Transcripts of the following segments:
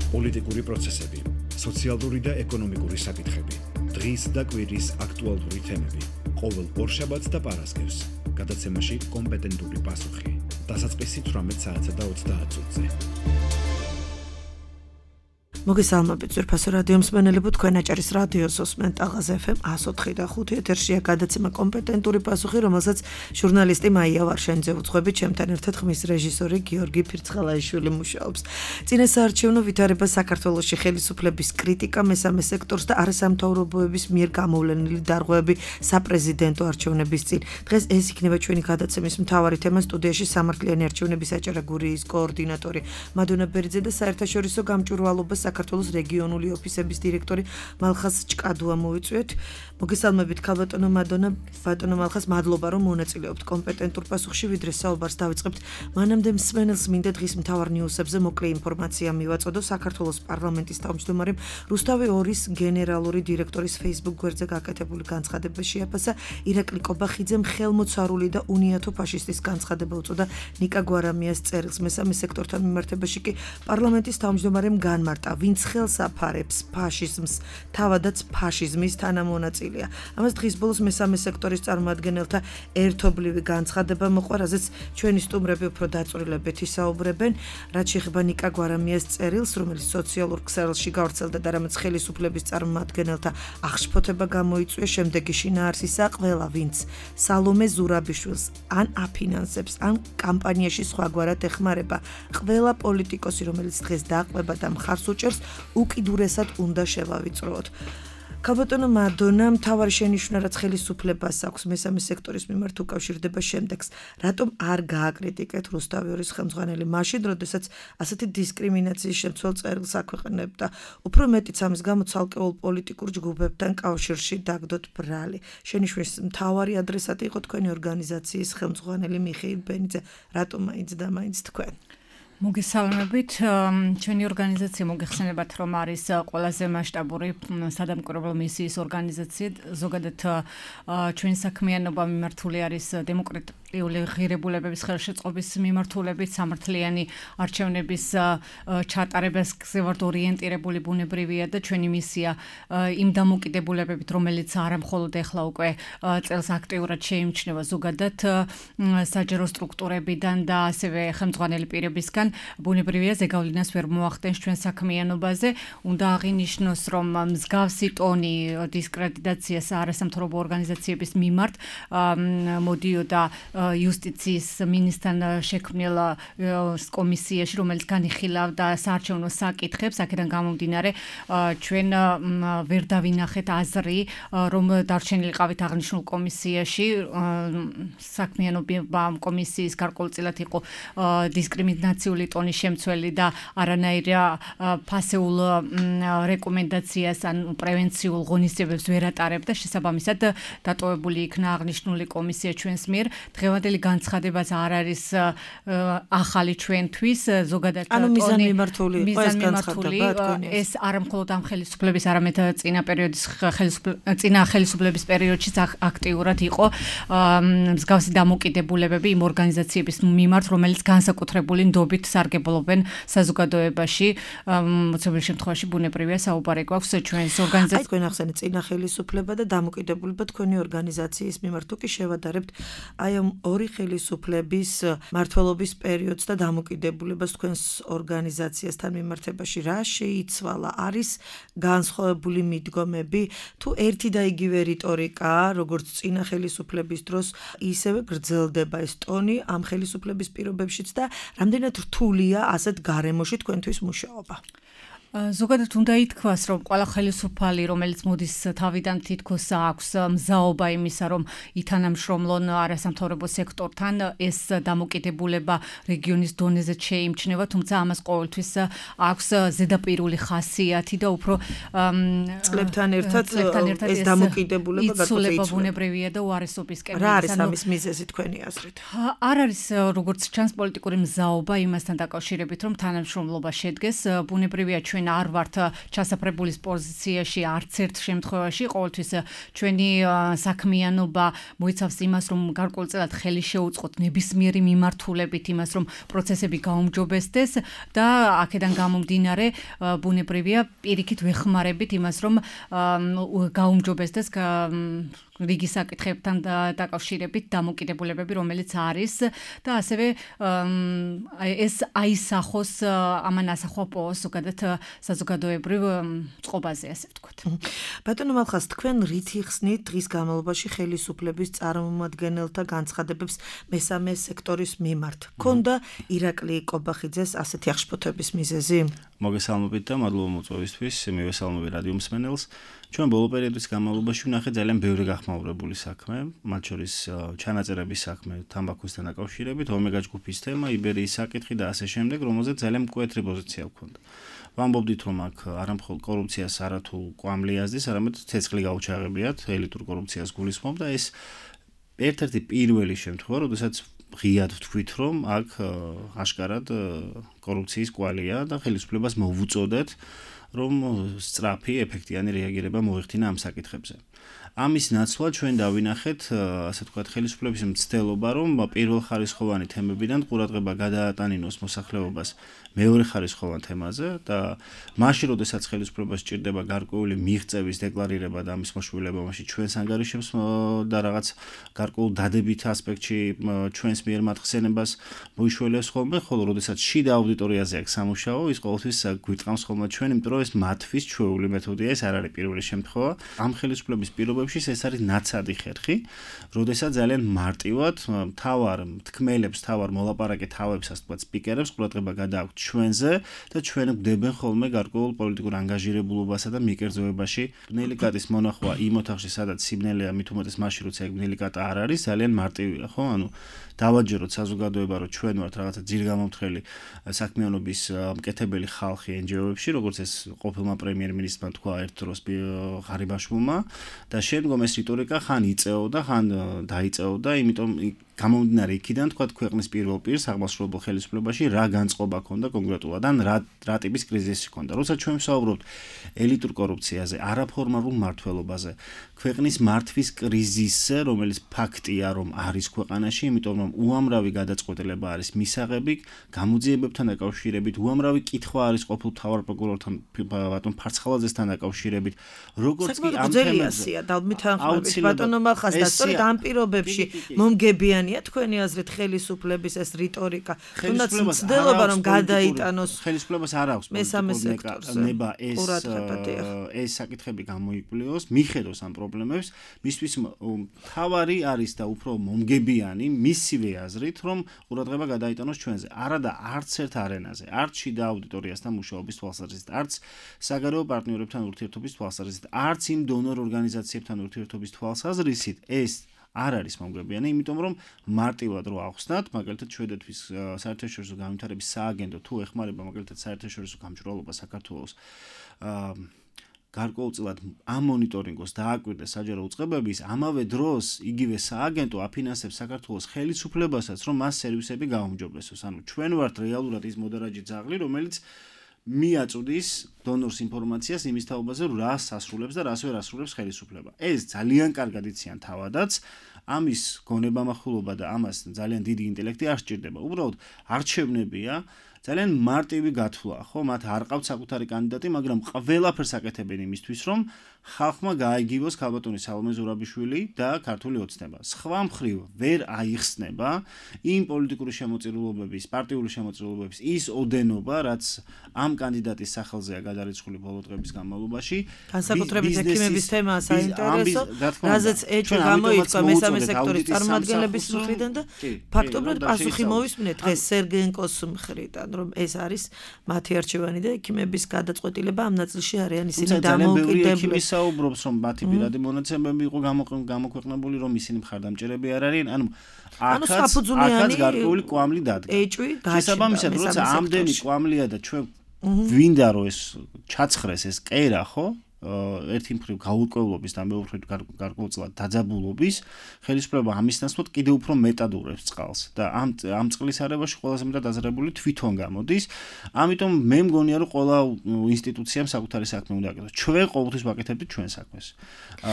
პოლიტიკური პროცესები, სოციალური და ეკონომიკური საკითხები, დღის და კვირის აქტუალური თემები, ყოველ ორშაბათს და პარასკევს, გადაცემაში კომპეტენტური პასუხი, დასაწყისი 18 საათსა და 30 წუთზე. მოგესალმებით ძვირფასო რადიო მსმენელებო, თქვენ აჭარის რადიოს უსმენთ ალღაზ FM 104 და 5 ეთერშია გადაცემა კომპეტენტური პასუხი, რომელსაც ჟურნალისტი მაია ვარშენიძე უძღვებით, ჩემთან ერთად ხმის რეჟისორი გიორგი ფირცხალაიშვილი მუშაობს. წინასაარჩევნო ვითარება საქართველოში, ხელისუფლების კრიტიკა მესამე სექტორს და არასამთავრობოების მიერ გამოვლენილი დარღვევები საპრეზიდენტო არჩევნების წინ. დღეს ეს იქნება ჩვენი გადაცემის მთავარი თემა. სტუდიაში სამართლიანი არჩევნების აჭარა გურიის კოორდინატორი მადონა ბერიძე და საერთაშორისო გამჭვირვალობას საქართველოს რეგიონული ოფისების დირექტორი მალხაზ ჭკადუა მოვიწვიეთ. მოგესალმებით ქალბატონო მადონა, ბატონო მალხაზ, მადლობა რომ მონაწილეობთ კომპეტენტურ პასუხში. ვიდრე საუბარს დავიწყებთ, მანამდე მსმენელს მინდა დღის მთავარ ნიუსებზე მოკლე ინფორმაცია მივაწოდო. საქართველოს პარლამენტის თავმჯდომარემ რუსთავი 2-ის გენერალური დირექტორის Facebook გვერდზე გაკეთებული განცხადება შეაფასა. ირაკლი კობახიძემ ხელმოცარული და უნიათო ფაშისტის განცხადება უწოდა ნიკა გვარამიას წერილს. მესამე სექტორთან მიმართებაში კი პარლამენტის თავმჯდომარემ განმარტა, ვინც ხელს აფარებს ფაშიზმს, თავადაც ფაშიზმის თანამონაწილეა. ამას დღის ბოლოს მესამე სექტორის წარმომადგენელთა ერთობლივი განცხადება მოყვა, რაზეც ჩვენი სტუმრები უფრო დაწვრილებებით ისაუბრებენ. რაც შეეხება ნიკა გვარამიას წერილს, რომელიც სოციალურ ქსელში გავრცელდა და რამაც ხელისუფლების წარმომადგენელთა აღშფოთება გამოიწვია, შემდეგი შინაარსისა, ყველა ვინც სალომე ზურაბიშვილს ან აფინანსებს, ან კამპანიაში სხვაგვარად ეხმარება, ყველა პოლიტიკოსი, რომელიც დღეს დააყრება და მხარს უჭერს, უკიდურესად უნდა შევავიწროოთ. ქალბატონო მადონა, მთავარი შენიშვნა, რაც ხელისუფლებას აქვს მესამე სექტორის მიმართ უკავშირდება შემდეგს, რატომ არ გააკრიტიკეთ რუსთავი 2-ის ხელმძღვანელი მაშინ, როდესაც ასეთი დისკრიმინაციის შემცველ წერილს აქვეყნებდა. უფრო მეტიც ამის გამო ცალკეულ პოლიტიკურ ჯგუფებთან კავშირში დაგდოთ ბრალი. შენიშვნის მთავარი ადრესატი იყო თქვენი ორგანიზაციის ხელმძღვანელი მიხეილ ბენიძე. რატომ მაინც და მაინც თქვენ? მოგესალმებით, ჩვენი ორგანიზაცია მოგეხსენებათ, რომ არის ყველაზე მასშტაბური სადამკვირვებლო მისიის ორგანიზაცია. ზოგადად ჩვენი საქმიანობა მიმართული არის დემოკრატიული ღირებულებების ხელშეწყობის მიმართულებით, სამართლიანი არჩევნების ჩატარებაზე ვართ ორიენტირებული ბუნებრივია და ჩვენი მისია იმ დამოკიდებულებებით, რომელიც არა მხოლოდ ეხლა უკვე წელს აქტიურად შეიმჩნევა ზოგადად საჯარო სტრუქტურებიდან და ასევე ხელმძღვანელი პირებისგან, ბუნებრივია ზეგავლენას ვერ მოახდენს ჩვენ საქმიანობაზე. უნდა აღინიშნოს, რომ მსგავსი ტონი დისკრედიტაციას არასამთავრობო ორგანიზაციების მიმართ მოდიოდა იუსტიციის მინისტრთან შექმნილ კომისიაში, რომელიც განიხილავდა საარჩევნო საკითხებს. აქედან გამომდინარე, ჩვენ ვერ დავინახეთ აზრი, რომ დარჩენილიყავით აღნიშნულ კომისიაში. საქმიანობა კომისიის გარკვეულწილად იყო დისკრიმინაციული ტონის შემცველი და არანაირ ფასეულ რეკომენდაციას ან პრევენციულ ღონისძიებებს ვერ ატარებდა. შესაბამისად, დატოვებული იქნა აღნიშნული კომისია ჩვენს მიერ. დღევანდელი განცხადებაც არ არის ახალი ჩვენთვის, ზოგადად მიზანმიმართული იყო ეს განცხადება. ეს არა მხოლოდ ამ ხელისუფლების, არამედ წინა ხელისუფლების პერიოდშიც აქტიურად იყო მსგავსი დამოკიდებულებები იმ ორგანიზაციების მიმართ, რომელიც განსაკუთრებული ნდობით სარგებლობენ საზოგადოებაში. მოცემულ შემთხვევაში ბუნებრივია საუბარი გვაქვს ჩვენს ორგანიზაციას. თქვენ ახსენეთ წინა ხელისუფლება და დამოკიდებულება თქვენი ორგანიზაციის მიმართ. თუ კი შევადარებთ აი ამ ორი ხელისუფლების მმართველობის პერიოდს და დამოკიდებულებას თქვენს ორგანიზაციასთან მიმართებაში, რა შეიცვალა? არის განსხვავებული მიდგომები, თუ ერთი და იგივე რიტორიკა, როგორც წინა ხელისუფლების დროს, ისევე გრძელდება ეს ტონი ამ ხელისუფლების პირობებშიც და რამდენად რთულია ასეთ გარემოში თქვენთვის მუშაობა? ზოგადად უნდა ითქვას, რომ ყველა ხელისუფალი, რომელიც მოდის თავიდან თითქოს აქვს მზაობა იმისა, რომ ითანამშრომლონ არასამთავრობო სექტორთან, ეს დამოკიდებულება რეგიონის დონეზე შეიმჩნევა, თუმცა ამას ყოველთვის აქვს ზედაპირული ხასიათი და უფრო წლებთან ერთად ეს დამოკიდებულება იცვლება ბუნებრივია და უარესობისკენ. რა არის ამის მიზეზი თქვენი აზრით? არ არის როგორც ჩანს პოლიტიკური მზაობა იმასთან დაკავშირებით, რომ თანამშრომლობა შედგეს. ბუნებრივია ჩვენ არ ვართ ჩასაფრებულის პოზიციაში არც ერთ შემთხვევაში, ყოველთვის ჩვენი საქმიანობა მოიცავს იმას, რომ გარკვეულწილად ხელი შეუწყოთ ნებისმიერი მიმართულებით იმას, რომ პროცესები გაუმჯობესდეს და აქედან გამომდინარე ბუნებრივია პირიქით ვეხმარებით იმას, რომ გაუმჯობესდეს რიგი საკითხებთან დაკავშირებით დამოკიდებულებები, რომელიც არის და ასევე ეს აისახოს ამან ასახვა ზოგადად საზოგადოებრივ წყობაზე, ასე ვთქვათ. ბატონო მალხას, თქვენ რით იხსნით დღის განმავლობაში ხელისუფლების წარმომადგენელთა განცხადებებს მესამე სექტორის მიმართ? ქონდა ირაკლი კობახიძეს ასეთი აღშფოთების მიზეზი? მოგესალმებით და მადლობა მოწვევისთვის, მივესალმები რადიო მსმენელს. ჩვენ ბოლო პერიოდის განმავლობაში ვნახეთ ძალიან ბევრი გახმაურებული საქმე, მათ შორის ჩანაწერების საქმე თამბაქოსთან დაკავშირებით, ომეგა ჯგუფის თემა, იბერიის საკითხი და ასე შემდეგ, რომელზეც ძალიან მკვეთრი პოზიცია გვქონდა. ვამბობდით, რომ აქ არამხოლოდ კორუფციას არათუ კვამლი აზდის, არამედ ცეცხლი გაუჩაღებიათ, ელიტურ კორუფციას გულისხმობ და ეს ერთ-ერთი პირველი შემთხვევა, როდესაც ღიად ვთქვით, რომ აქ აშკარად კორუფციის კვალია და ხელისუფლებას მოვუწოდეთ, რომ სწრაფი, ეფექტიანი რეაგირება მოეხდინა ამ საკითხებზე. ამის ნაცვლად ჩვენ დავინახეთ, ასე ვთქვათ, ხელისუფლების მცდელობა, რომ პირველხარისხოვანი თემებიდან ყურადღება გადაატანინოს მოსახლეობას მეორე ხარისხოვან თემაზე და მაშინ, როდესაც ხელისუფლებას სჭირდება გარკვეული მიღწევის დეკლარირება და ამის მოშველება, მაშინ ჩვენს ანგარიშებს და რაღაც გარკვეულ დადებით ასპექტში ჩვენს მიერ მათ ხსენებას მოიშველებს ხოლმე, ხოლო როდესაც შიდა აუდიტორიაზე აქვს სამუშაო, ის ყოველთვის გვიტყამს ხოლმე ჩვენ, იმიტომ რომ ეს მათთვის ჩვეული მეთოდია, ეს არ არის პირველი შემთხვევა. ამ ხელისუფლების პირობებში ეს არის ნაცადი ხერხი, როდესაც ძალიან მარტივად მთავარ თქმელებს, მთავარ მოლაპარაკე თავებს, ასე ვთქვათ, სპიკერებს ყურადღება გადააქვთ ჩვენზე და ჩვენ გვდებენ ხოლმე გარკვეულ პოლიტიკურ ანგაჟირებულობასა და მიკერძოებაში. ბნელი კატის მონახვა იმ ოთახში, სადაც სიბნელეა, მით უმეტეს მაშინ, როცა ეგ ბნელი კატა არ არის, ძალიან მარტივია, ხო? ანუ დავაჯეროთ საზოგადოება, რომ ჩვენ ვართ რაღაცა ძირგამომთხელი საქმიანობის მკეთებელი ხალხი NGO-ებში, როგორც ეს ყოფილმა პრემიერ-მინისტრმა თქვა ერთ დროს ღარიბაშვილმა და შემდგომ ეს რიტორიკა ხან იწეოდა, ხან დაიწეოდა, იმიტომ გამომდინარე იქიდან თქვა ქვეყნის პირველ პირს აღმასრულებელ ხელისუფლებაში რა განწყობა ქონდა კონკრეტულად ან რა ტიპის კრიზისი ქონდა. როცა ჩვენ ვსაუბრობთ ელიტურ კორუფციაზე, არაფორმალურ მმართველობაზე, ქვეყნის მართვის კრიზისზე, რომელიც ფაქტია, რომ არის ქვეყანაში, იმიტომ რომ უამრავი გადაწყვეტილება არის მისაღები, გამოძიებებთან დაკავშირებით, უამრავი კითხვა არის ყოფილ მთავარ პროკურორთან ბატონ ფარცხალაძესთან დაკავშირებით, როგორც კი ამ თემებზე ბატონო მალხას და სწორედ ამ პირობებში მომგებიანია თქვენი აზრით ხელისუფლების ეს რიტორიკა, თუნდაც მცდელობა რომ გადაიტანოს ხელისუფლებას არ აქვს მესამე სექტორზე ნება ეს საკითხები გამოიკვლიოს, მიხედოს ამ პრობლემებს, მისთვის თავარი არის და უფრო მომგებიანი მისივე აზრით, რომ ყურადღება გადაიტანოს ჩვენზე. არა და არც ერთ არენაზე, არც შიდა აუდიტორიასთან მუშაობის თვალსაზრისით, არც საგარეო პარტნიორებთან ურთიერთობის თვალსაზრისით, არც იმ დონორ ორგანიზაციებთან ურთიერთობის თვალსაზრისით ეს არ არის მომგებიანი, იმიტომ რომ მარტივად რო ახსნათ, მაგალითად შვედეთის საერთაშორისო განვითარების სააგენტო თუ ეხმარება მაგალითად საერთაშორისო გამჭვირვალობა საქართველოს გარკვეულწილად ამ მონიტორინგოს დააკვირდეს საჯარო უწყებების, ამავე დროს იგივე სააგენტო აფინანსებს საქართველოს ხელისუფლებასაც, რომ მას სერვისები გაუმჯობესოს. ანუ ჩვენ ვართ რეალურად ის მოდარაჯე ძაღლი, რომელიც მიაწვდის დონორს ინფორმაციას იმის თაობაზე, რას ასრულებს და რას ვერ ასრულებს ხელისუფლება. ეს ძალიან კარგად იციან თავადაც, ამის გონებამახვილობა და ამას ძალიან დიდი ინტელექტი არ სჭირდება. უბრალოდ არჩევნებია, ძალიან მარტივი გათვლა, ხო? მათ არ ყავთ საკუთარი კანდიდატი, მაგრამ ყველაფერს აკეთებენ იმისთვის, რომ ხალხმა გაიგივოს ქალბატონი სალომე ზურაბიშვილი და ქართული ოცნება. სხვა მხრივ ვერ აიხსნება იმ პოლიტიკური შემოწირულობების, პარტიული შემოწირულობების ის ოდენობა, რაც ამ კანდიდატის სახელზეა გადარიცხული ბოლო დღების განმავლობაში. განსაკუთრებით ექიმების თემაა საინტერესო, რაზეც ეჭვი გამოიწვა მესამე სექტორის წარმომადგენლების მხრიდან და ფაქტობრივად პასუხი მოვისმინეთ დღეს სერგენკოს მხრიდან, რომ ეს არის მათი არჩევანი და ექიმების გადაწყვეტილება ამ ნაწილში არიან ისინი დამოუკიდებლები. საუბრობს, რომ მათი პირადი მონაცემები იყო გამოქვეყნებული, რომ ისინი მხარდამჭერები არ არიან, ანუ აქაც გარკვეული კვამლი დადგა. შესაბამისად, როცა ამდენი კვამლია და ჩვენ გვინდა რომ ეს ჩაცხრეს ეს კერა, ხო? ერთი მხრივ გაურკვევლობის და მეორე მხრივ გარკვეულწილად დაძაბულობის ხელისუფლება ამის ნაცვლად კიდევ უფრო მეტად ურევს წყალს და ამ წყლის არებაში ყველაზე მეტად დაზრებული თვითონ გამოდის. ამიტომ მე მგონია რომ ყველა ინსტიტუციამ საკუთარი საქმე უნდა აკეთოს. ჩვენ ყოველთვის ვაკეთებდით ჩვენ საქმეს.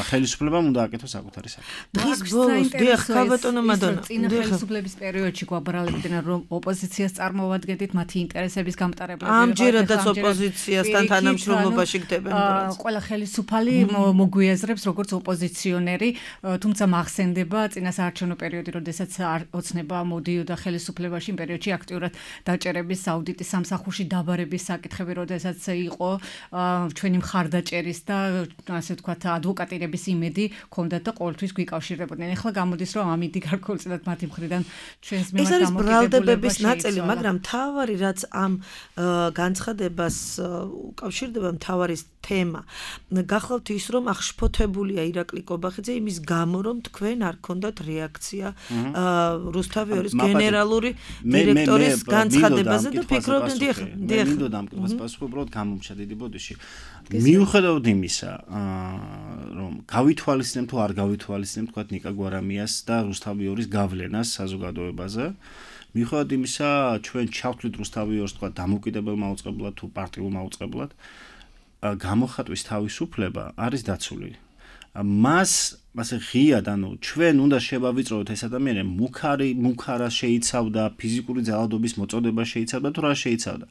ხელისუფლებამ უნდა აკეთოს საკუთარი საქმე. დღის ბოლოს დიახ, ქალბატონო მადონა. წინა ხელისუფლების პერიოდში გვაბრალებდნენ რომ ოპოზიციას წარმოვადგენდით მათი ინტერესების გამტარებლები. ამჯერადაც ოპოზიციასთან თანამშრომლობაში გდებენ პროცესი. ყველა ხელისუფალი მოგვიაზრებს როგორც ოპოზიციონერი, თუმცა მახსენდება წინა საარჩევნო პერიოდი, როდესაც ოცნება მოდიოდა ხელისუფლებაში იმ პერიოდში აქტიურად დაჭერების, აუდიტის სამსახურში დაბარების საკითხები, როდესაც იყო ჩვენი მხარდაჭერის და ასე ვთქვათ ადვოკატირების იმედი ჰქონდათ და ყოველთვის გვიკავშირებოდნენ. ეხლა გამოდის რომ ამიდი გარკვეულწილად მათი მხრიდან ჩვენს მიმართ ეს არის ბრალდებების ნაწილი, მაგრამ თავარი რაც ამ განცხადებას უკავშირდება მთავარი თემა. გახლავთ ის რომ აღშფოთებულია ირაკლი კობახიძე იმის გამო რომ თქვენ არ გქონდათ რეაქცია რუსთავიორის გენერალური დირექტორის განცხადებაზე და ფიქრობდნენ დიახ. მინდოდა ამ კითხვას პასუხი უბრალოდ გამომჩა დიდი ბოდიში. მიუხედავად იმისა, რომ გავითვალისწინებთ თუ არ გავითვალისწინებთ თქვა ნიკა გვარამიას და რუსთავიორის გავლენას საზოგადოებაზე, მიუხედავად იმისა, ჩვენ ჩავთვლით რუსთავიორს თქვა დამოუკიდებელ მაუწყებლად თუ პარტიულ მაუწყებლად, გამოხატვის თავისუფლება არის დაცული. მას ასე ღიად, ჩვენ უნდა შევავიწროთ ეს ადამიანი მუქარა შეიცავდა, ფიზიკური ძალადობის მოწოდება შეიცავდა თუ რა შეიცავდა.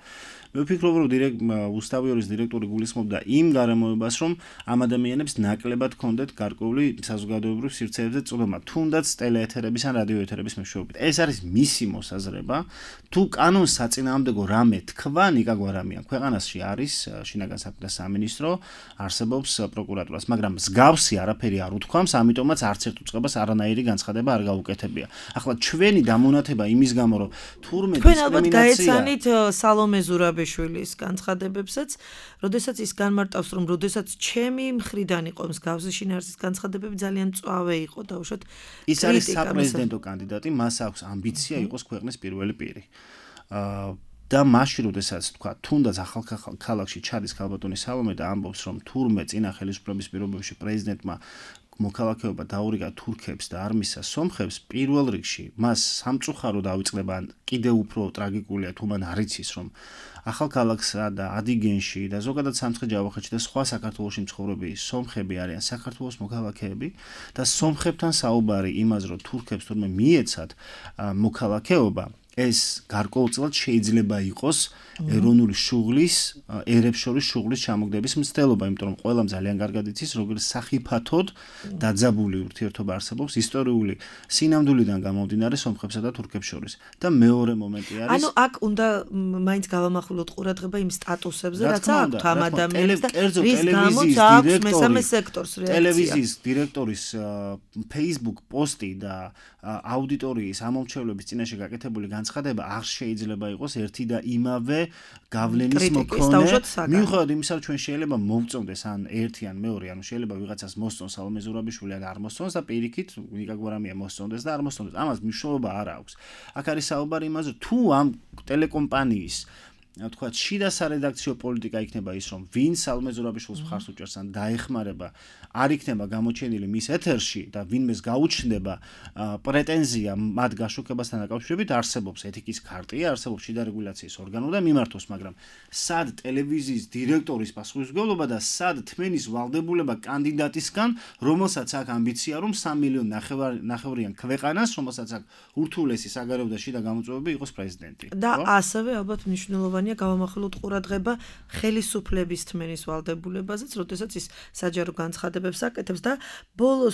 მე ვფიქრობ, რომ რუსთავიორის დირექტორი გულისხმობდა იმ გარემოებას, რომ ამ ადამიანებს ნაკლებად ჰქონდათ გარკვეული საზოგადოებრივ სივრცეებზე წვდომა, თუნდაც ტელეეთერების ან რადიოეთერების მეშვეობით. ეს არის მისი მოსაზრება. თუ კანონს საწინააღმდეგო რამე თქვა ნიკა გვარამიან, ქვეყანაში არის შინაგან საქმეთა სამინისტრო, არსებობს პროკურატურას, მაგრამ მსგავსი არაფერი არ უთქვამს, ამიტომაც არც ერთ უწყებას არანაირი განცხადება არ გაუკეთებია. ახლა ჩვენი დამონათება იმის გამო, რომ თურმე თქვენ ალბათ გაეცანით სალომე ზურაბიშვილის განცხადებებსაც, როდესაც ის განმარტავს, რომ როდესაც ჩემი მხრიდან იყო მსგავსი შინაარსის განცხადებები ძალიან მწვავე იყო დაუშვათ. ის არის საპრეზიდენტო კანდიდატი, მას აქვს ამბიცია იყოს ქვეყნის პირველი პირი. და მაშინ როდესაც თქვა თუნდაც ახალ ქალაქში ჩადის ქალბატონი სალომე და ამბობს რომ თურმე წინა ხელისუფლების პირობებში პრეზიდენტმა მოქალაქეობა დაურიგა თურქებს და არ მისცა სომხებს, პირველ რიგში მას სამწუხარო დავიწყდება, კიდევ უფრო ტრაგიკულია თუ მან არ იცის რომ ახალქალაქსა და ადიგენში და ზოგადად სამცხე-ჯავახეთში და სხვა საქართველოში მცხოვრები სომხები არიან საქართველოს მოქალაქეები და სომხებთან საუბარი იმაზე რომ თურქებს თურმე მიეცათ მოქალაქეობა, ეს გარკვეულწილად შეიძლება იყოს ეროვნული შუღლის, ერებს შორის შუღლის ჩამოგდების მცდელობა, იმიტომ რომ ყველამ ძალიან კარგად იცის, როგორ სახიფათოდ დაძაბული ურთიერთობა არსებობს ისტორიული სინამდვილიდან გამომდინარე სომხებსა და თურქებს შორის. და მეორე მომენტი არის, ანუ აქ უნდა მაინც გავამახვილოთ ყურადღება იმ სტატუსებზე, რაც აქვთ ამ ადამიანებს და რის გამოც აქვს მესამე სექტორს რეაქცია. ტელევიზიის დირექტორის Facebook პოსტი და აუდიტორიის ამომრჩევლების წინაშე გაკეთებული განცხადება არ შეიძლება იყოს ერთი და იმავე გავლენის მქონე. მიუხედავად იმისა, რომ ჩვენ შეიძლება მოვწონდეს ან ერთი ან მეორე, ანუ შეიძლება ვიღაცას მოსწონს სალომე ზურაბიშვილი ან არ მოსწონს და პირიქით ნიკა გვარამია მოსწონდეს და არ მოსწონდეს. ამას მნიშვნელობა არ აქვს. აქ არის საუბარი იმაზე, თუ ამ ტელეკომპანიის თქვათ შიდა სარედაქციო პოლიტიკა იქნება ის, რომ ვინ სალომე ზურაბიშვილს მხარს უჭერს ან დაეხმარება, არ იქნება გამოჩენილი მის ეთერში და ვინმეს გაუჩნდება პრეტენზია მათ გაშუქებასთან დაკავშირებით, არსებობს ეთიკის ქარტია, არსებობს შიდა რეგულაციის ორგანო და მიმართოს, მაგრამ სად ტელევიზიის დირექტორის პასუხისმგებლობა და სად თმენის ვალდებულება კანდიდატისგან, რომელსაც აქვს ამბიცია, რომ 3 მილიონ ნახევრიან ქვეყანას, რომელსაც აქვს ურთულესი საგარეო და შიდა გამოწვევები იყოს პრეზიდენტი. და ასევე ალბათ მნიშვნელოვანია გავამახვილოთ ყურადღება ხელისუფლების თმენის ვალდებულებაზეც, როდესაც ის საჯარო განცხადებებს აკეთებს და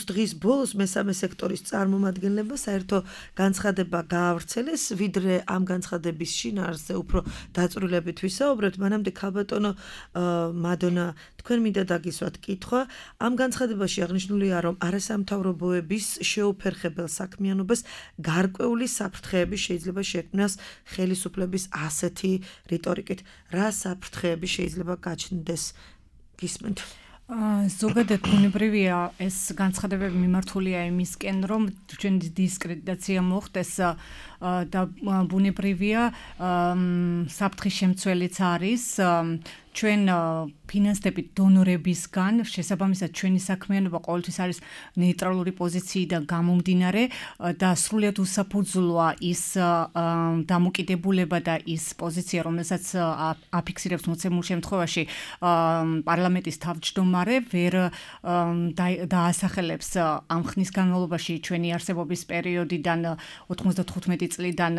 დღის ბოლოს მესამე სექტორის წარმომადგენლება საერთო განცხადება გაავრცელეს, ვიდრე ამ განცხადების შინაარსზე უფრო დაწვრილებით ვისაუბრებთ. მანამდე ქალბატონო მადონა, თქვენ მინდა დაგისვათ კითხვა, ამ განცხადებაში აღნიშნულია, რომ არასამთავრობოების შეუფერხებელ საქმიანობას გარკვეული საფრთხეები შეიძლება შექმნას ხელისუფლების ასეთი რიტორიკით. რა საფრთხეები შეიძლება გაჩნდეს? გისმენთ? ზოგადად ბუნებრივია ეს განცხადებები მიმართულია იმისკენ, რომ ჩვენი დისკრედიტაცია მოხდეს და ბუნებრივია საფრთხის შემცველიც არის ჩვენ ფინანსდებით დონორებისგან შესაბამისად ჩვენი საქმიანობა ყოველთვის არის ნეიტრალური პოზიციიდან გამომდინარე და სრულიად უსაფუძვლოა ის დამოკიდებულება და ის პოზიცია, რომელსაც აფიქსირებს მოცემულ შემთხვევაში პარლამენტის თავმჯდომარე ვერ დაასახელებს ამ ხნის განმავლობაში ჩვენი არსებობის პერიოდიდან 95 წლიდან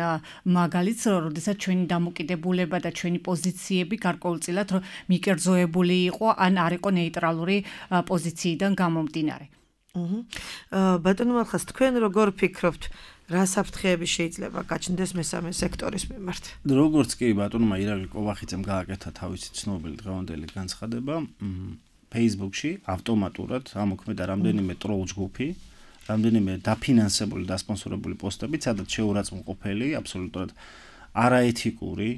მაგალითს, როდესაც ჩვენი დამოკიდებულება და ჩვენი პოზიციები გარკვეულწილად მიკერძოებული იყო ან არ იყო ნეიტრალური პოზიციიდან გამომდინარე. ბატონო მალხას, თქვენ როგორ ფიქრობთ, რა საფრთხეები შეიძლება გაჩნდეს მესამე სექტორის მიმართ? როგორც კი ბატონმა ირაკლი კოვახიძემ გააკეთა თავისი ცნობილი დღევანდელი განცხადება, Facebook-ში ავტომატურად ამოქმედა რამდენიმე ტროლ ჯგუფი, რამდენიმე დაფინანსებული და სპონსორებული პოსტები, სადაც შეურაცხმყოფელი, აბსოლუტურად არაეთიკური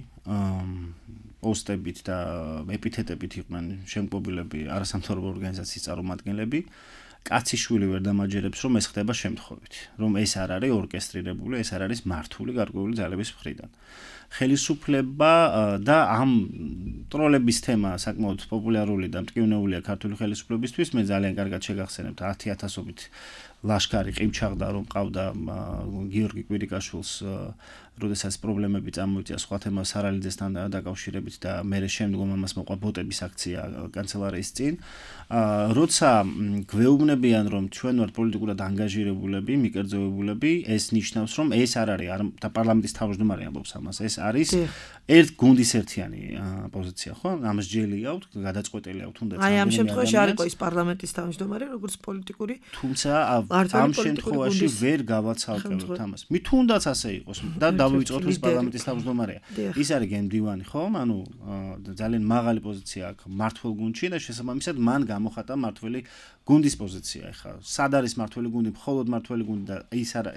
პოსტებით და ეპითეტებით იყვნენ შემკობილები არასამთავრობო ორგანიზაციის წარმომადგენლები. კაციშვილი ვერ დამაჯერებს, რომ ეს ხდება შემთხვევით, რომ ეს არ არის ორკესტრირებული, ეს არ არის მართული გარკვეული ძალების მხრიდან. ხელისუფლება და ამ ტროლების თემა საკმაოდ პოპულარული და მტკივნეულია ქართული ხელისუფლებისთვის. მე ძალიან კარგად შეგახსენებთ 10,000-ობით ლაშქარი ყივჩაღდა, რომ ყავდა გიორგი კვირიკაშვილს, როდესაც პრობლემები წამოიწია სხვა თემა სარალიძესთან დაკავშირებით და მერე შემდგომ ამას მოყვა ბოტების აქცია კანცელარიის წინ. როცა გვეუბნებიან, რომ ჩვენ ვართ პოლიტიკურად ანგაჟირებულები, მიკერძოებულები, ეს ნიშნავს, რომ ეს არ არის და პარლამენტის თავმჯდომარე ამბობს ამას, ეს არის გუნდის ერთიანი პოზიცია, ხო? ამას ჯელი აქვთ, გადაწყვეტილი აქვთ თუნდაც. აი ამ შემთხვევაში არ იყო ის პარლამენტის თავმჯდომარე, როგორც პოლიტიკური. თუმცა ამ შემთხვევაში ვერ გავაცალკევთ ამას. თუნდაც ასე იყოს და დავივიწყოთ ის პარლამენტის თავმჯდომარეა. ის არის გენდივანი, ხო? ანუ ძალიან მაღალი პოზიცია აქვს მმართველ გუნდში და შესაბამისად მან გამოხატა მმართველი გუნდის პოზიცია. ეხლა სად არის მმართველი გუნდი, მხოლოდ მმართველი გუნდი და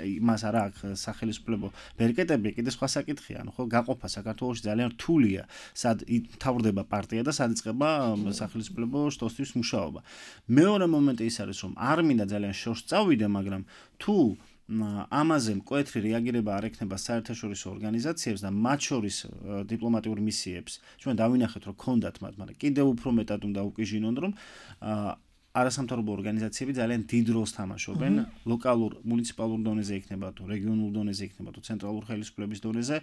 იმას არა აქვს სახელმწიფო ბერკეტები, კიდე სხვა საკითხია. ანუ ხო გაყოფა საქართველოში ძალიან რთულია, სად მთავრდება პარტია და სად იწყება სახელმწიფო შტოსთვის მუშაობა. მეორე მომენტი ის არის, რომ არ მინდა ძალიან შორს წავიდე, მაგრამ თუ ამაზე მკვეთრი რეაგირება არ ექნება საერთაშორისო ორგანიზაციებს და მათ შორის დიპლომატიურ მისიებს, ჩვენ დავინახეთ, რომ ქონდათ მათ, მაგრამ კიდევ უფრო მეტად უნდა უკიჟინონ, რომ არასამთავრობო ორგანიზაციები ძალიან დიდ როლს თამაშობენ ლოკალურ, მუნიციპალურ დონეზე იქნება თუ რეგიონულ დონეზე იქნება თუ ცენტრალურ ხელისუფლების დონეზე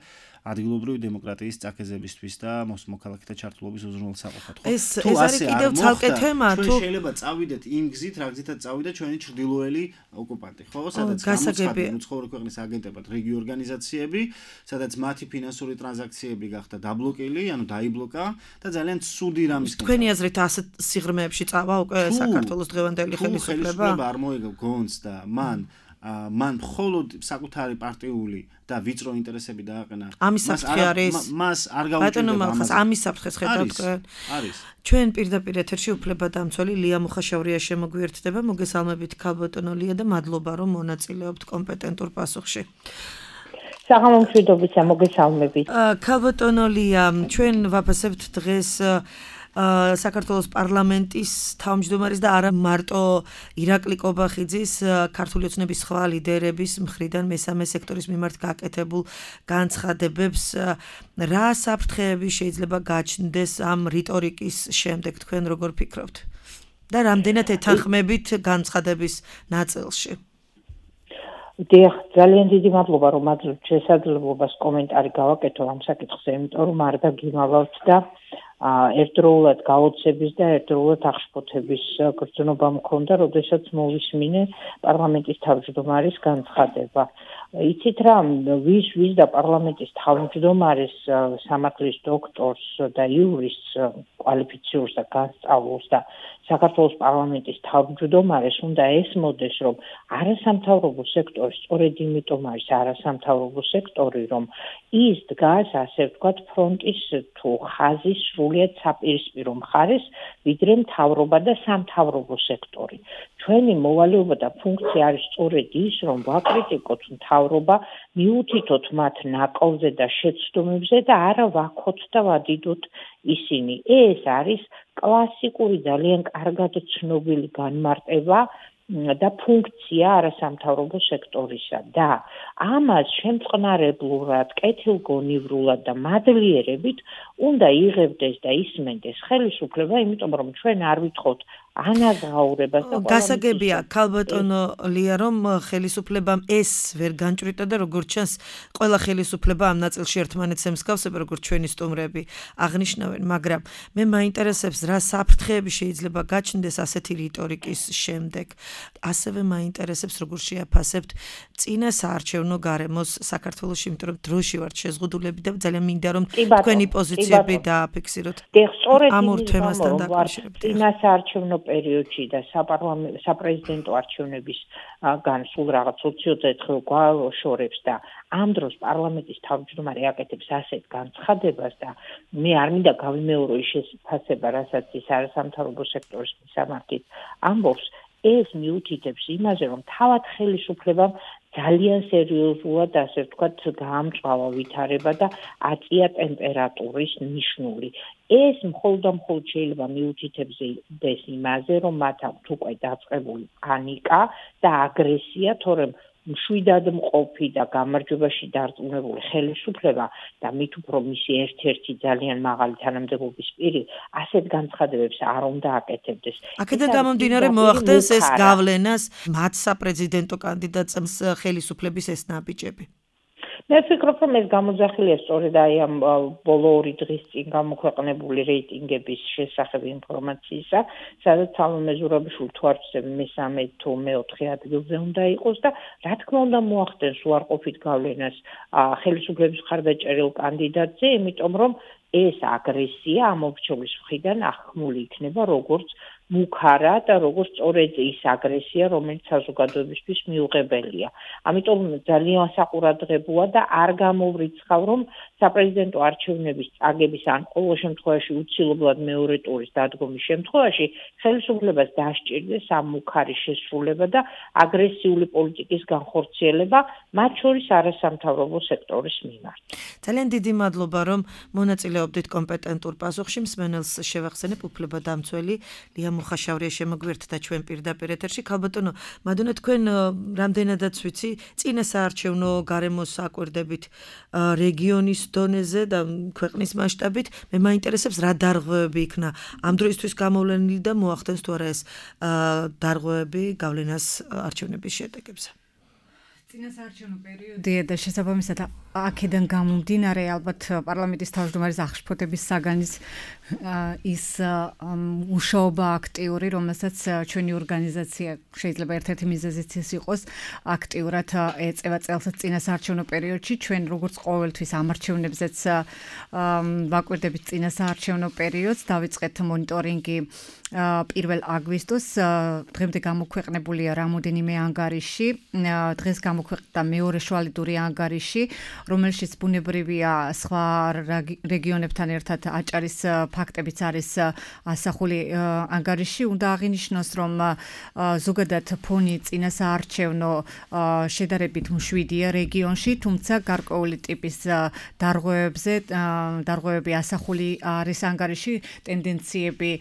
ადგილობრივი დემოკრატიის წაგეზებისთვის და მოქალაქეთა ჩართულობის უზრუნველსაყოფად. ეს არის კიდევ ცალკე თემა, თუ შეიძლება წავიდეთ იმ გზით, რა გზითაც წავიდა ჩვენი ჩრდილოელი ოკუპანტი, ხო? სადაც გამოცხადდა უცხოური ქვეყნის აგენტებად რეგიო ორგანიზაციები, სადაც მათი ფინანსური ტრანზაქციები გახდა დაბლოკილი, ანუ დაიბლოკა და ძალიან ცუდი რამის. თქვენი აზრით ასეთ სიღრმეებში წავა უკვე საქართველოს დღევანდელი ხელისუფლება არ მოიგო გონს და მან მხოლოდ საკუთარი პარტიული და ვიწრო ინტერესები დააყენა. ამის საფრთხე არის. მას არ გაუჭირდება ამას. ამის საფრთხეს ხედავთ თქვენ? არის. ჩვენ პირდაპირ ეთერში უფლებადამცველი ლია მუხაშაურია შემოგვიერთდება. მოგესალმებით ქალბატონო ლია და მადლობა რომ მონაწილეობთ კომპეტენტურ პასუხში. საღამომშვიდობისა, მოგესალმებით. ქალბატონო ლია, ჩვენ ვაფასებთ დღეს საქართველოს პარლამენტის თავმჯდომარის და არა მარტო ირაკლი კობახიძის ქართული ოცნების სხვა ლიდერების მხრიდან მესამე სექტორის მიმართ გაკეთებულ განცხადებებს. რა საფრთხეები შეიძლება გაჩნდეს ამ რიტორიკის შემდეგ, თქვენ როგორ ფიქრობთ? და რამდენად ეთანხმებით განცხადების ნაწილში? დიახ, ძალიან დიდი მადლობა, რომ მაძლევთ შესაძლებლობას კომენტარი გავაკეთო ამ საკითხზე, იმიტომ რომ არ დაგიმალავთ და ერთდროულად გაოცების და ერთდროულად აღშფოთების გრძნობა მქონდა, როდესაც მოვისმინე პარლამენტის თავმჯდომარის განცხადება. იცით რა, ვის და პარლამენტის თავმჯდომარის სამართლის დოქტორს და იურისტს კვალიფიციურს და განსწავლულს და საქართველოს პარლამენტის თავმჯდომარეს უნდა ესმოდეს, რომ არასამთავრობო სექტორი სწორედ იმიტომ არის არასამთავრობო სექტორი, რომ ის დგას, ასე ვთქვათ, ფრონტის თუ ხაზის სრულიად საპირისპირო მხარეს, ვიდრე მთავრობა და სამთავრობო სექტორი. ჩვენი მოვალეობა და ფუნქცია არის სწორედ ის, რომ ვაკრიტიკოთ მთავრობა, მიუთითოთ მათ ნაკოვზე და შეცდომებზე და არა ვაქოთ და ვადიდოთ ისინი. ეს არის კლასიკური ძალიან კარგად ცნობილი განმარტება და ფუნქცია არასამთავრობო სექტორისა და ამას შემწყნარებლურად, კეთილგონივრულად და მადლიერებით უნდა იღებდეს და ისმენდეს ხელისუფლება, იმიტომ რომ ჩვენ არ ვითხოვთ ანაზღაურებას და გასაგებია ქალბატონო ლია რომ ხელისუფლებამ ეს ვერ განჭვრიტა და როგორც ჩანს ყველა ხელისუფლება ამ ნაწილში ერთმანეთს ემსგავსება როგორც ჩვენი სტუმრები აღნიშნავენ მაგრამ მე მაინტერესებს რა საფრთხეები შეიძლება გაჩნდეს ასეთი რიტორიკის შემდეგ ასევე მაინტერესებს როგორ შეაფასებთ წინა საარჩევნო გარემოს საქართველოში იმიტომ რომ დროში ვართ შეზღუდულები და ძალიან მინდა რომ თქვენი პოზიციები დააფიქსიროთ ამ ორ თემასთან დაკავშირებით წინა საარჩევნო პერიოდში და საპრეზიდენტო არჩევნების განსულ რაღაც 20-30 დღე გვაშორებს და ამ დროს პარლამენტის თავმჯდომარე აკეთებს ასეთ განცხადებას და მე არ მინდა გავიმეორო ის შეფასება, რასაც ის არასამთავრობო სექტორის მისამართით ამბობს, ეს მიუთითებს იმაზე, რომ თავად ხელისუფლებამ ძალიან სერიოზულად, ასე ვთქვათ, გაამწვავა ვითარება და აწია ტემპერატურის ნიშნული. ეს მხოლოდ შეიძლება მიუთითებდეს იმაზე, რომ მათ აქვთ უკვე დაწყებული პანიკა და აგრესია, თორემ მშვიდად მყოფი და გამარჯვებაში დარწმუნებული ხელისუფლება და მით უფრო მისი ერთ-ერთი ძალიან მაღალი თანამდებობის პირი ასეთ განცხადებებს არ უნდა აკეთებდეს. აქედან გამომდინარე მოახდენს ეს გავლენას მათ საპრეზიდენტო კანდიდატს ხელისუფლების ეს ნაბიჯები. მე ვფიქრობ, რომ ეს გამოძახილია სწორედ აი ამ ბოლო 2 დღის წინ გამოქვეყნებული რეიტინგების შესახებ ინფორმაციისა, სადაც სალომე ზურაბიშვილი თუ არ ვცდები მესამე თუ მეოთხე ადგილზე უნდა იყოს და რა თქმა უნდა მოახდენს უარყოფით გავლენას ხელისუფლების მხარდაჭერილ კანდიდატზე, იმიტომ რომ ეს აგრესია ამ ოფიციალის მხრიდან აღქმული იქნება როგორც მუქარა და როგორც სწორედ ის აგრესია, რომელიც საზოგადოებისთვის მიუღებელია. ამიტომ ძალიან საყურადღებოა და არ გამოვრიცხავ, რომ საპრეზიდენტო არჩევნების წაგების ან ყოველ შემთხვევაში უცილებლად მეორე ტურის დადგომის შემთხვევაში ხელისუფლებას დასჭირდეს ამ მუქარი შესრულება და აგრესიული პოლიტიკის განხორციელება, მათ შორის არასამთავრობო სექტორის მიმართ. ძალიან დიდი მადლობა, რომ მონაწილეობდით კომპეტენტურ პასუხში. მსმენელს შევახსენებ უფლებადამცველი ლია მუხაშავრია შემოგვერთდა ჩვენ პირდაპირ ეთერში. ქალბატონო, მადონე თქვენ რამდენადაც ვიცი, წინა საარჩევნო გარემოს აკვირდებით რეგიონის დონეზე და ქვეყნის მასშტაბით. მე მაინტერესებს რა დარღვევები იქნა ამ დროისთვის გამოვლენილი და მოახდენს თუ არა ეს დარღვევები გავლენას არჩევნების შედეგებზე. წინა საარჩევნო პერიოდია და შესაბამისად აქედან გამომდინარე ალბათ პარლამენტის თავმჯდომარის აღშფოთების საგანის ის მუშაობა აქტიური, რომელსაც ჩვენი ორგანიზაცია შეიძლება ერთ-ერთი მიზეზიც ის იყოს, აქტიურად ეწევა წელს წინა საარჩევნო პერიოდში. ჩვენ როგორც ყოველთვის ამ არჩევნებზეც ვაკვირდებით წინა საარჩევნო პერიოდს, დავიწყეთ მონიტორინგი 1 აგვისტოს, დღემდე გამოქვეყნებულია რამოდენიმე ანგარიში, დღეს გამოქვეყნდა მეორე შუალედური ანგარიში, რომელშიც ბუნებრივია სხვა რეგიონებთან ერთად აჭარის ფაქტებიც არის ასახული ანგარიში. უნდა აღინიშნოს, რომ ზოგადად ფონი წინა საარჩევნო შედარებით მშვიდია რეგიონში, თუმცა გარკვეული ტიპის დარღვევები ასახული არის ანგარიში, ტენდენციები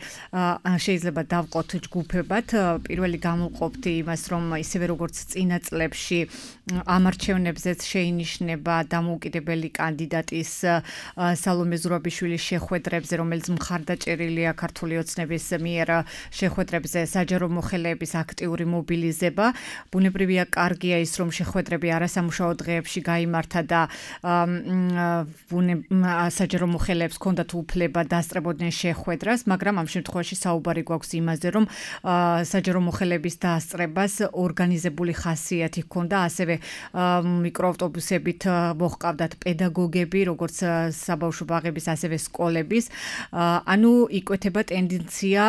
შეიძლება დავყოთ ჯგუფებად. პირველი გამოვყოფთ იმას, რომ ისევე როგორც წინა წლებში ამ არჩევნებზეც შეინიშნება დამოუკიდებელი კანდიდატის სალომე ზურაბიშვილის შეხვედრებზე, რომელიც მხარდაჭერილია ქართული ოცნების მიერ შეხვედრებზე საჯარო მოხელეების აქტიური მობილიზება. ბუნებრივია კარგია ის, რომ შეხვედრები არასამუშაო დღეებში გაიმართა და საჯარო მოხელეებს ჰქონდათ უფლება დასწრებოდნენ შეხვედრას, მაგრამ ამ შემთხვევაში საუბარი გვაქვს იმაზე, რომ საჯარო მოხელეების დასწრებას ორგანიზებული ხასიათი ჰქონდა, ასევე მიკროავტობუსებით მოჰყავდათ პედაგოგები, როგორც საბავშვო ბაღების, ასევე სკოლების. ანუ იკვეთება ტენდენცია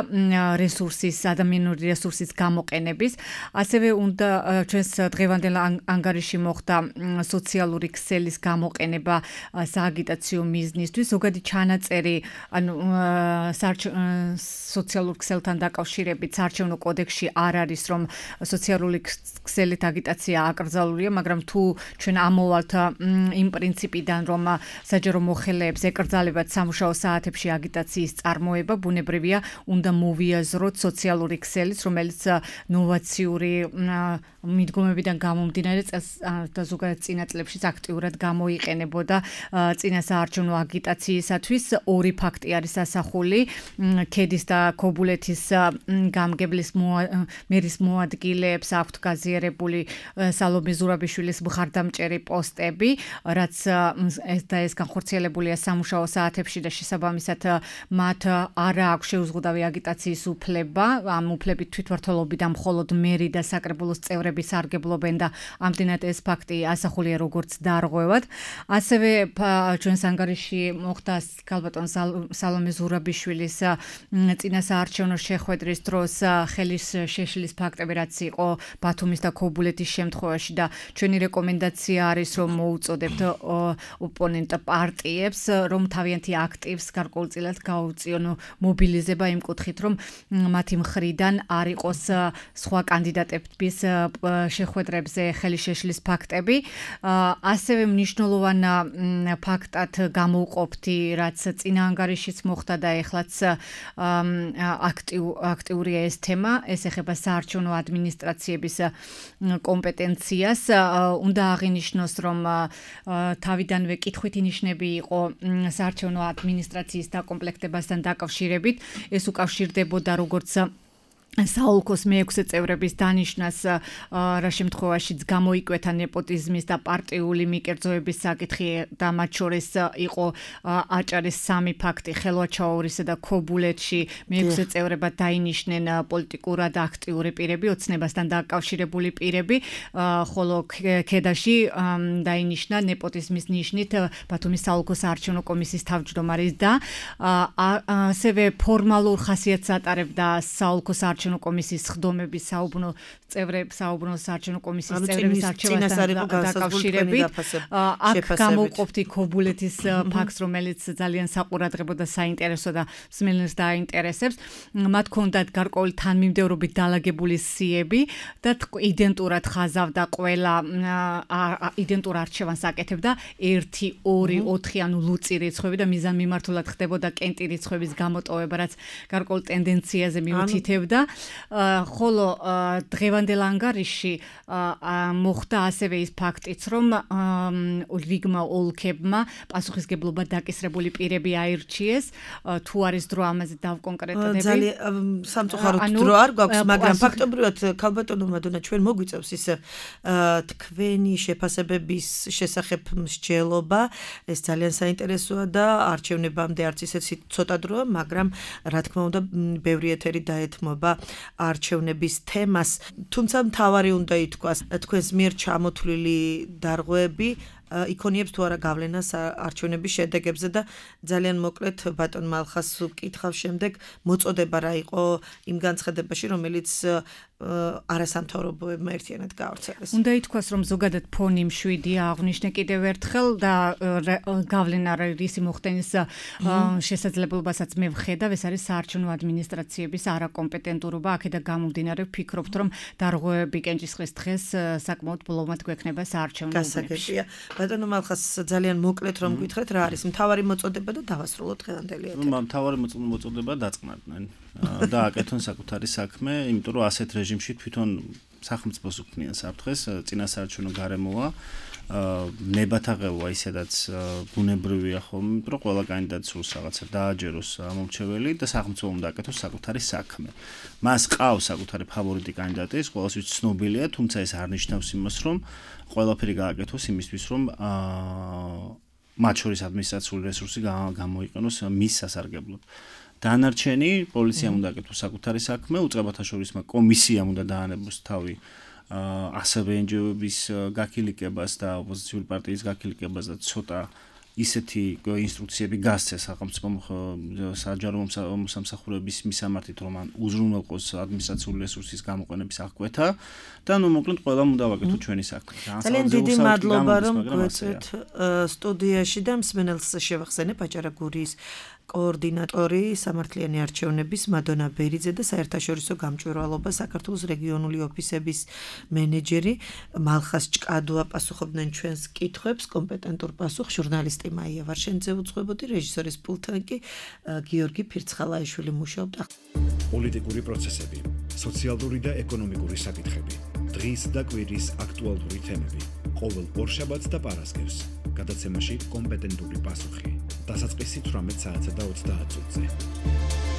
რესურსის, ადამიანური რესურსის გამოყენების. ასევე უნდა ჩვენს დღევანდელ ანგარიში მოხდა სოციალური ქსელის გამოყენება სააგიტაციო მიზნისთვის. ზოგადი ჩანაწერი, ანუ სოციალურ ქსელთან დაკავშირებით საარჩევნო კოდექსში არ არის, რომ სოციალური ქსელით აგიტაცია აკრძალულია, მაგრამ თუ ჩვენ ამოვალთ იმ პრინციპიდან, რომ საჯარო მოხელეებს ეკრძალებათ სამუშაო საათებში აგიტაციის წარმოება, ბუნებრივია, უნდა მოვიაზროთ სოციალური ქსელიც, რომელიც ნოვაციური მიდგომებიდან გამომდინარე და ზოგადად წინა წლებშიც აქტიურად გამოიყენებოდა წინასაარჩევნო აგიტაციისათვის. ორი ფაქტი არის ასახული. ქედის და ქობულეთის გამგებლის მერის მოადგილეებს აქვთ გაზიარებული სალომე ზურაბიშვილის მხარდამჭერი პოსტები, რაც ეს განხორციელებულია სამუშაო საათებში და შესაბამისად მათ არ აქვს შეუზღუდავი აგიტაციის უფლება. ამ უფლებით თვითმმართველობიდან მხოლოდ მერი და საკრებულოს წევრები სარგებლობენ და ამდენად ეს ფაქტი ასახულია როგორც დარღვევად. ასევე ჩვენს ანგარიში მოხდა ქალბატონ სალომე ზურაბიშვილის წინასაარჩევნო შეხვედრის დროს ხელის შეშლის ფაქტები, რაც იყო ბათუმის და ქობულეთის შემთხვევაში და ჩვენი რეკომენდაცია არის, რომ მოუწოდებთ ოპონენტ პარტიებს, რომ თავიანთი აქტივს გარკვეულწილად გაუწიონ მობილიზება იმ კუთხით, რომ მათი მხრიდან არ იყოს სხვა კანდიდატების შეხვედრებზე ხელის შეშლის ფაქტები. ასევე მნიშვნელოვან ფაქტად გამოვყოფთი, რაც წინა ანგარიშიც მოხდა და ეხლაც აქტიურია ეს თემა, ეს ეხება საარჩევნო ადმინისტრაციების კომპეტენციას. უნდა აღინიშნოს, რომ თავიდანვე კითხვით ნიშნები იყო საარჩევნო ადმინისტრაციის დაკომპლექტებასთან დაკავშირებით. ეს უკავშირდებოდა როგორც საოლქოს მე-6 წევრების დანიშნას, რა შემთხვევაშიც გამოიკვეთა ნეპოტიზმის და პარტიული მიკერძოების საკითხი და მათ შორის იყო აჭარის 3 ფაქტი, ხელვაჩაურისა და ქობულეთში მე-6 წევრებად დაინიშნენ პოლიტიკურად აქტიური პირები, ოცნებასთან დაკავშირებული პირები, ხოლო ქედაში დაინიშნა ნეპოტიზმის ნიშნით ბათუმის საოლქო საარჩევნო კომისიის თავმჯდომარის და ასევე ფორმალურ ხასიათს ატარებდა საოლქო საარჩევნო კომისიის ხდომების საუბნო საარჩევნო კომისიის წევრების არჩევასთან დაკავშირებით. აქ გამოვყოფთი ქობულეთის ფაქტს, რომელიც ძალიან საყურადღებო და საინტერესო და მსმენელს დაინტერესებს. მათ ჰქონდათ გარკვეული თანმიმდევრობით დალაგებული სიები და იდენტურად ხაზავდა ყველა იდენტურ არჩევანს აკეთებდა 1, 2, 4 ანუ ლუწი რიცხვები და მიზანმიმართულად ხდებოდა კენტი რიცხვების გამოტოვება, რაც გარკვეულ ტენდენციაზე მიუთითებდა. ხოლო დღევანდელ ანგარიში მოხდა ასევე ის ფაქტიც, რომ რიგმა ოლქებმა პასუხისგებლობა დაკისრებული პირები აირჩიეს, თუ არის დრო ამაზე დავკონკრეტდები. ძალიან სამწუხაროდ დრო არ გვაქვს, მაგრამ ფაქტობრივად ქალბატონო მადონა ჩვენ მოგვიწევს ის თქვენი შეფასებების შესახებ მსჯელობა, ეს ძალიან საინტერესოა და არჩევნებამდე არც ისეთი ცოტა დროა, მაგრამ რა თქმა უნდა ბევრი ეთერი დაეთმობა არჩევნების თემას, თუმცა მთავარი უნდა ითქვას, თქვენს მიერ ჩამოთვლილი დარღვევები იქონიებს თუ არა გავლენას არჩევნების შედეგებზე და ძალიან მოკლედ ბატონ მალხას ვკითხავ შემდეგ მოწოდება რა იყო იმ განცხადებაში, რომელიც არასამთავრობოებმა ერთიანად გაავრცელეს. უნდა ითქვას, რომ ზოგადად ფონი მშვიდია, აღვნიშნე კიდევ ერთხელ და გავლენა რისი მოხდენის შესაძლებლობასაც მე ვხედავ, ეს არის საარჩევნო ადმინისტრაციების არაკომპეტენტურობა, აქედან გამომდინარე ვფიქრობთ, რომ დარღვევები კენჭისყრის დღეს საკმაოდ ბოლომად გვექნება საარჩევნო უბნებში. ბატონო მალხას ძალიან მოკლედ რომ გითხრათ, რა არის მთავარი მოწოდება და დავასრულოთ დღევანდელი ეთერი. მთავარი მოწოდება დაწყნარდნენ და აკეთონ საკუთარი საქმე, იმიტომ რომ ასეთ რეჟიმში თვითონ სახელმწიფოს უქმნიან საფრთხეს, წინასაარჩევნო გარემოა, ნებათაღელვა ისედაც ბუნებრივია ხოლმე, იმიტომ რომ ყველა კანდიდატს სურს რაღაცა დააჯეროს ამომრჩეველი და სახელმწიფო უნდა აკეთოს საკუთარი საქმე. მას ყავს საკუთარი ფავორიტი კანდიდატი, ის ყველასთვის ცნობილია, თუმცა ეს არ ნიშნავს იმას, რომ ყველაფერი გააკეთოს იმისთვის, რომ მათ შორის ადმინისტრაციული რესურსი გამოიყენოს მის სასარგებლოდ. დანარჩენი პოლიციამ უნდა აკეთოს საკუთარი საქმე, უწყებათა შორის კომისიამ უნდა დაანებოს თავი ასევე NGO-ების გაქილიკებას და ოპოზიციური პარტიის გაქილიკებას და ცოტა ისეთი ინსტრუქციები გასცეს სახელმწიფო საჯარო მომსახურების მისამართით, რომ ან უზრუნველყოს ადმინისტრაციული რესურსის გამოყენების აღკვეთა და ნუ მოკლედ ყველამ უნდა ვაკეთოთ ჩვენი საქმე. ძალიან დიდი მადლობა, რომ გვეწვეთ სტუდიაში და მსმენელს შევახსენებ აჭარა გურიის კოორდინატორი სამართლიანი არჩევნების მადონა ბერიძე და საერთაშორისო გამჭვირვალობა საქართველოს რეგიონული ოფისების მენეჯერი მალხას ჭკადოა პასუხობდნენ ჩვენს კითხვებს, კომპეტენტურ პასუხს ჟურნალისტი მაია ვარშენიძე უძღვებოდი, რეჟისორის პულტთან კი გიორგი ფირცხალაიშვილი მუშაობდა. პოლიტიკური პროცესები, სოციალური და ეკონომიკური საკითხები, დღის და კვირის აქტუალური თემები, ყოველ ორშაბათს და პარასკევს, გადაცემაში კომპეტენტური პასუხი. დასაწყისი 18 საათსა და 30 წუთზე.